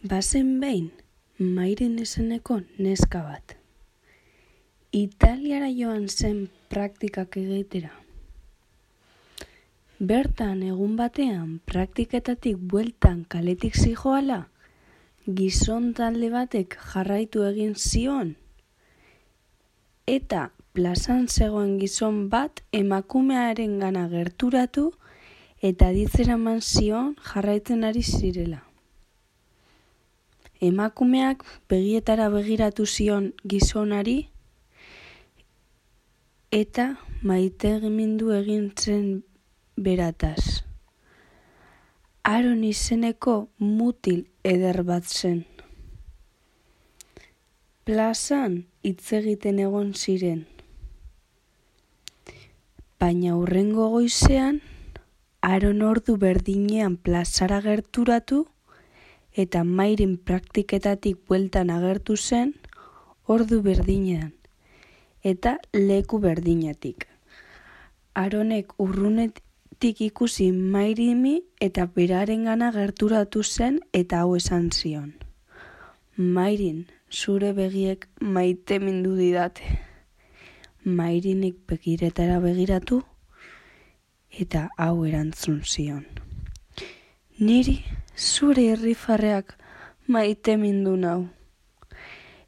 Bazen behin, Mairen izeneko neska bat. Italiara joan zen praktikak egitera. Bertan egun batean praktiketatik bueltan kaletik zihoala, gizon talde batek jarraitu egin zion, eta plazan zegoen gizon bat emakumearengana gerturatu eta aditzera eman zion jarraitzen ari zirela. Emakumeak begietara begiratu zion gizonari eta maitemindu egin zen berataz. Aron izeneko mutil eder bat zen. Plazan hitz egiten egon ziren. Baina hurrengo goizean, Aron ordu berdinean plazara gerturatu eta Mairen praktiketatik bueltan agertu zen ordu berdinean eta leku berdinetik. Aronek urrunetik ikusi Mairimi eta berarengana gerturatu zen eta hau esan zion: "Mairin, zure begiek maitemindu didate." Mairinek begiretara begiratu eta hau erantzun zion: "Niri zure irrifarreak maitemindu nau."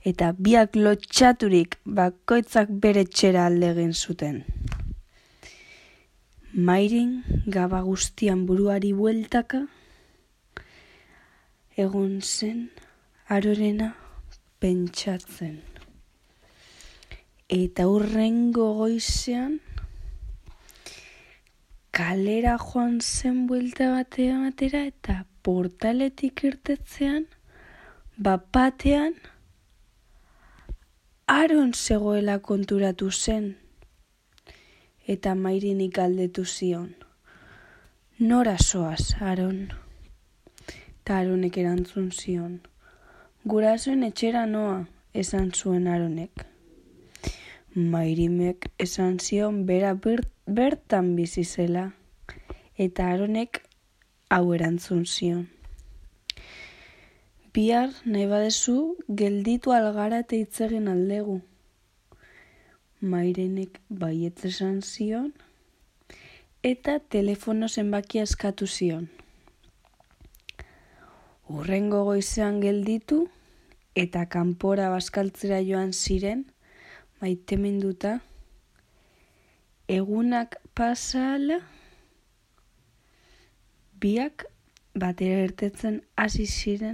Eta biak lotxaturik bakoitzak bere etxera alde egin zuten. Mairin gaba guztian buruari bueltaka egon zen Arorena pentsatzen. Eta hurrengo goizean kalera joan zen buelta batera eta portaletik irtetzean, bapatean Aron zegoela konturatu zen. Eta Mairinik galdetu zion: "Nora zoaz, Aron?" Eta Aronek erantzun zion: "Gurasoen etxera noa," esan zuen Aronek. Mairimek esan zion bera bertan bizi zela, eta Aronek hau erantzun zion: "Bihar nahi badezu gelditu algara eta hitz egin aldegu." Mairenek baietz esan zion eta telefono zenbakia eskatu zion. Hurrengo goizean gelditu eta kanpora bazkaltzera joan ziren, maiteminduta. Egunak pasa ahala, biak batera irtetzen hasi ziren